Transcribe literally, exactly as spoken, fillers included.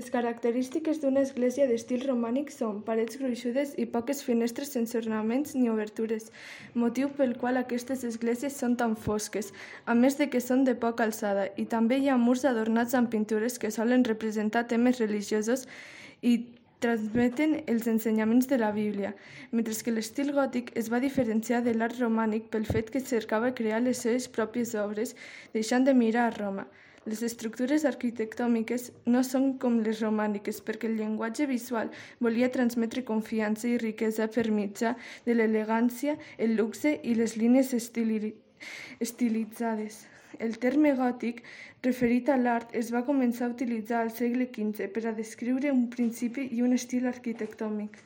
Les característiques d'una església d'estil romànic són parets gruixudes i poques finestres sense ornaments ni obertures, motiu pel qual aquestes esglésies són tan fosques, a més de que són de poca alçada, i també hi ha murs adornats amb pintures que solen representar temes religiosos i transmeten els ensenyaments de la Bíblia, mentre que l'estil gòtic es va diferenciar de l'art romànic pel fet que cercava crear les seves pròpies obres, deixant de mirar a Roma. Les estructures arquitectòniques no són com les romàniques perquè el llenguatge visual volia transmetre confiança i riquesa per mitjà de l'elegància, el luxe i les línies estili- estilitzades. El terme gòtic, referit a l'art, es va començar a utilitzar al segle quinze per a descriure un principi i un estil arquitectònic.